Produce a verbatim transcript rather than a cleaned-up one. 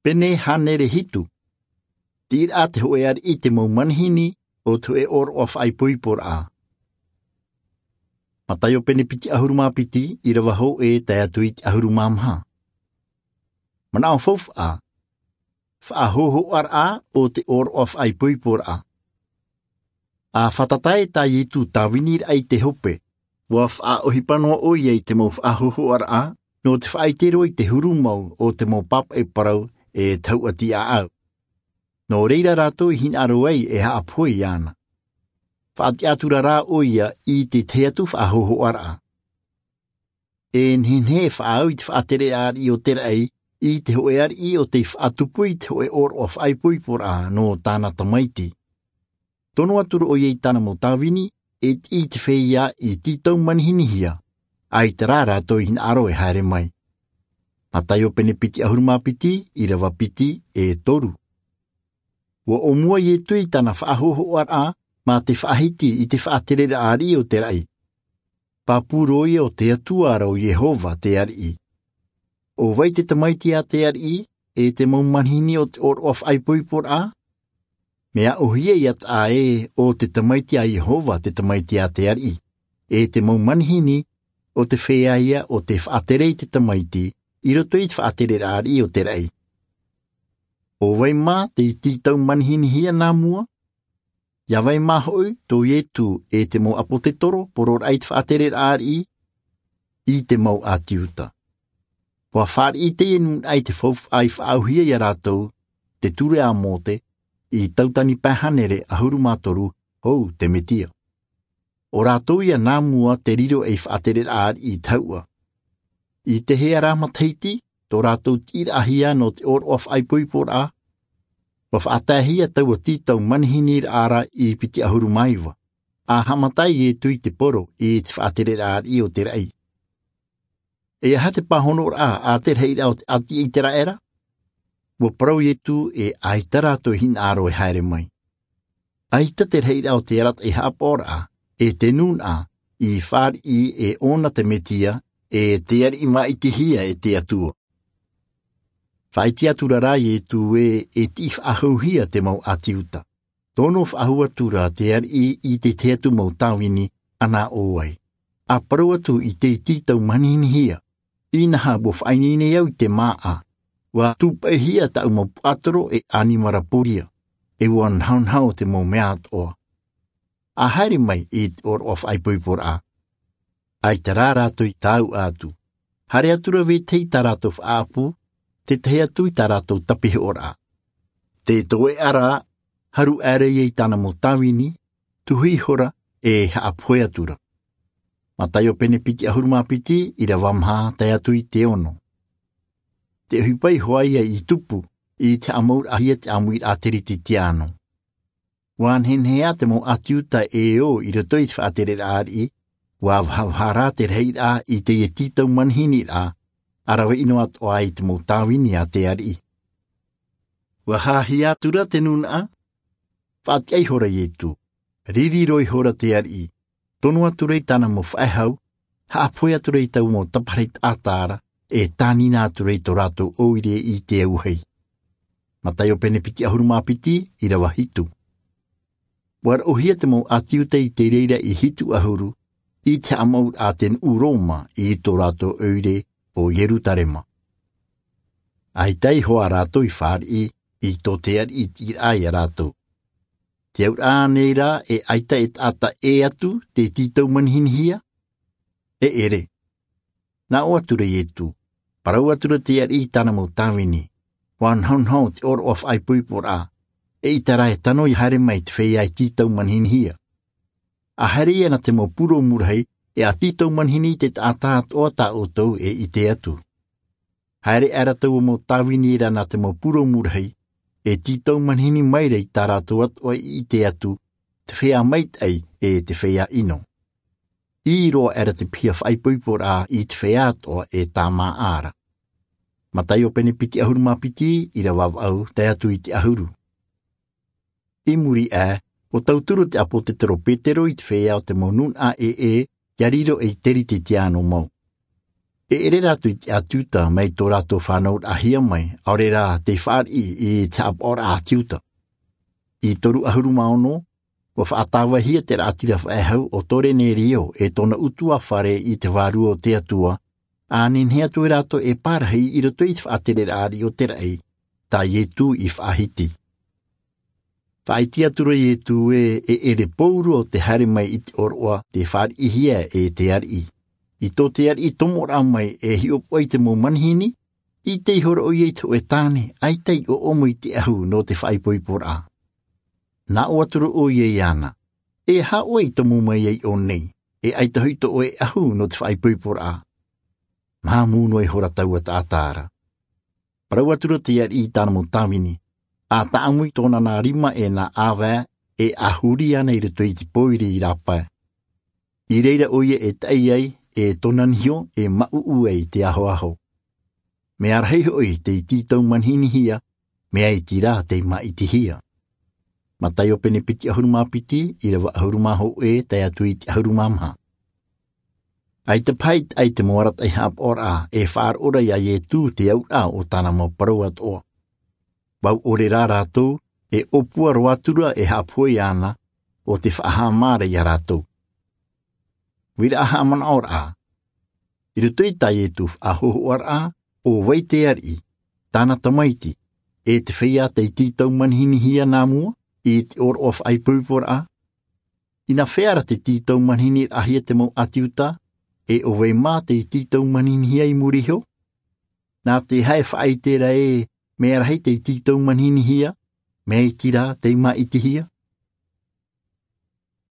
Pene hānere hitu. Tiʻiraʻa te hōʻē ariʻi i te mau manihini o te hōʻē ʻōroʻa faʻaipoiporaʻa. Mataio pene piti ʻahuru mā piti, ʻīrava hōʻē tae atu i te ʻahuru mā maha. Manaʻo faufaʻa. Faʻahōhoʻaraʻa o te ʻōroʻa faʻaipoiporaʻa. A fātata ē tā Ietu tāviniraʻa i te hope, ʻua faʻaʻohipa noa ʻoia i te mau faʻahōhoʻaraʻa, nō te faʻaʻite roa i te huru mau o te mau pāpaʻi parau e tahuʻa tiʻaʻau. Nō reira rātou i hinaʻaro ai e haʻapohe iāna. Faʻatiʻa atura rā ʻoia i te tahi atu faʻahōhoʻaraʻa. E nehenehe e faʻaau i te faʻatereraʻa ariʻi o te raʻi i te hōʻē ariʻi ʻo tei faʻatupu i te hōʻē ʻōroʻa faʻaipoiporaʻa nō tāna tamaiti. Tono atura ʻoia i tāna mau tāvini, e tiʻi i te feiā i tītau manihinihia, ʻaita rā rātou i hinaʻaro e haere mai. Mataio pene piti ʻahuru mā piti, ʻīrava piti e toru. ʻUa ʻōmua Ietu i tāna faʻahōhoʻaraʻa mā te faʻahiti i te faʻatereraʻa ariʻi o te raʻi. Pāpū roa ʻoia ʻo te Atua ra ʻo Iehova te ariʻi. ʻO vai te tamaiti a te ariʻi, e te mau manihini o te ʻōroʻa faʻaipoiporaʻa? Mea ʻōhie ia taʻa ē ʻo te tamaiti a Iehova te tamaiti a te ariʻi, e te mau manihini ʻo te feiā ia ʻo tei faʻatere i te tamaiti i roto i te faʻatereraʻa ariʻi o te raʻi. ʻO vai mā tei tītau manihinihia nā mua? ʻIa vai mā hoʻi tō Ietu e te mau ʻāpōsetolo poroʻraʻa i te faʻatereraʻa ariʻi? I te mau ʻāti Iuta. ʻUa fāriʻi teie nūnaʻa i te faufaʻa i faʻaauhia ia rātou, te ture a Mōse, i Tautani pae hānere ʻahuru mā toru, hou te Mesia. ʻO rātou ia nā mua te riro ei faʻatereraʻa ariʻi tahuʻa. I te hea rā matahiti tō rātou tiʻiraʻahia nō te ʻōroʻa faʻaipoiporaʻa? ʻUa faʻataehia taua tītau manihiniraʻa ra i piti ʻahuru mā iva, a haʻamata ai Ietu i te poro i te faʻatereraʻa ariʻi o te raʻi. E aha te pāhonoraʻa a te rahiraʻa o te ʻāti ʻĪteraʻera? ʻUa parau Ietu e ʻaita rātou i hinaʻaro e haere mai. ʻAita te rahiraʻa o te arataʻi haʻapaʻoraʻa, e te nūnaʻa, i fāriʻi e ʻōna te Mesia, e te ariʻi māʻitihia e te Atua. Faʻaʻite atura rā Ietu ē e tiʻi faʻahouhia te mau ʻāti Iuta. Tono faʻahou atura te ariʻi i te tahi atu mau tāvini, ʻana ʻō ai. ʻA parau atu i te tītau manihinihia, inaha ʻua faʻaineine au i te māʻa, ʻua tūpaʻihia taʻu mau puaʻatoro e ʻanimara pōria, e ʻua nahonaho te mau mea atoʻa. ʻA haere mai i te ʻōroʻa faʻaipoiporaʻa. ʻAita rā rātou i tāuʻa atu. Haere atura vetahi i tā rātou faʻaʻapu, te tahi atu i tā rātou tapihoʻoraʻa. Te toeʻa rā, haru aʻera ïa i tāna mau tāvini, tuhi ihora, e haʻapohe atura. Mataio pene piti ʻahuru mā piti, ʻīrava maha tae atu i te ono. Te ʻohipa iho ā ïa i tupu i te haʻamauraʻahia te ʻāmuiraʻa teretetiāno. ʻUa nehenehe ā te mau ʻāti Iuta e ō i roto i te faʻatereraʻa ariʻi, ʻua vahavaha rā te rahiraʻa i teie tītau manihiniraʻa, ʻa rave ʻino atoʻa ai te mau tāvini a te ariʻi. ʻUa hāhia atura te nūnaʻa, faʻatiʻa ihora Ietu, riri roa ihora te ariʻi, tono atura i tāna mau faʻehau, haʻapohe atura i taua mau taparahi taʻata ra, e tānina atura i tō rātou ʻoire i te auahi. Mataio pene piti ʻahuru mā piti, ʻīrava hitu. ʻUa raʻohia te mau ʻāti Iuta i te reira i hitu ʻahuru, i te haʻamauraʻa a te nuʻu Roma i tō rātou ʻoire ʻo Ierutarema. ʻAita iho ā rātou i fāriʻi i tō te ariʻi tiʻiraʻa ia rātou. Te auraʻa ānei rā e ʻaita e taʻata ʻē atu tei tītau manihinihia? E ʻere. Nā ʻō atura Ietu, parau atura te ariʻi i tāna mau tāvini, ʻua nahonaho te ʻōroʻa faʻaipoiporaʻa, eʻita rā e tano ʻia haere mai te feiā e tītau manihinihia. ʻA haere ïa nā te mau purōmu rahi, e ʻa tītau manihini i te taʻata atoʻa tā ʻoutou e ʻite atu. Haere aʻera taua mau tāvini ra nā te mau purōmu rahi, e tītau manihini maira i tā rātou atoʻa i ʻite atu, te feiā maitaʻi e te feiā ʻino. ʻĪ roa aʻera te piha faʻaipoiporaʻa i te feiā atoʻa e tāmāʻa ra. Mataio pene piti ʻahuru mā piti, ʻīrava vaʻu, tae atu i te ʻahuru. I muri aʻe, ʻua tauturu te ʻāpōsetolo Petero i te feiā o te mau nūnaʻa ʻē, ʻia riro ei teretetiāno mau. E ʻere rātou i te ʻāti Iuta mai tō rātou fānauraʻahia mai, ʻaore rā tei fāriʻi i te haʻapaʻoraʻa ʻāti Iuta. I toru ʻahuru mā ono, ua faʻatāvahia te raʻatira faʻehau o Torenerio e tōna ʻutuāfare i te vārua o te Atua, ʻa nehenehe atu rātou e pārahi i roto i te faʻatereraʻa ariʻi o te raʻi, tā Ietu i faʻahiti. Faʻaʻite atu ra Ietu ē, e ʻere pauroa te haere mai i te ʻōroʻa tei fāriʻihia e te ariʻi. I tō te ariʻi tomoraʻa mai e hiʻopoʻa i te mau manihini, ʻite ihora ʻoia i te hōʻē tāne, ʻaita i ʻoʻomo i te ʻahu nō te faʻaipoiporaʻa. Nā ʻō atu ra ʻoia iāna, e aha ʻoe i tomo mai ai ʻō nei, e ʻaita hoʻi tō ʻoe ʻahu nō te faʻaipoiporaʻa? Māmū noa ihora taua taʻata ra. Parau atu ra te ariʻi i tāna mau tāvini, ʻa tāʻamu i tōna nā rima e nā ʻāvae, e ʻa huri ana i roto i te pōiri i rāpae. I reira ʻoia e taʻi ai, e tōna niho e māʻuʻu ai te ahoaho. Mea rahi hoʻi tei tītau manihinihia, mea iti rā tei māʻitihia. Mataio pene piti ʻahuru mā piti, ʻīrava ʻahuru mā hōʻē, tae atu i te ʻahuru mā maha. ʻAita paha i te, ʻaita mau arataʻi haʻapaʻoraʻa e faʻaroʻo ra iā Ietu te auraʻa o tāna mau parau atoʻa. Vau ʻore rā rātou, e ʻōpua roa atu ra e haʻapohe iāna, ʻo te faʻahaʻamā ra iā rātou. Uiraʻa haʻamanaʻoraʻa. I roto i tā Ietu faʻahōhoʻaraʻa, ʻo vai te ariʻi, tāna tamaiti, e te feiā tei tītau manihinihia nā mua i te ʻōroʻa faʻaipoiporaʻa? Inā fea ra te tītau manihiniraʻahia te mau ʻāti Iuta, e ʻo vai mā tei tītau manihinihia i muri iho? Nā te aha e faʻaʻite ra ē, mea rahi tei tītau manihinihia, mea iti rā tei māʻitihia?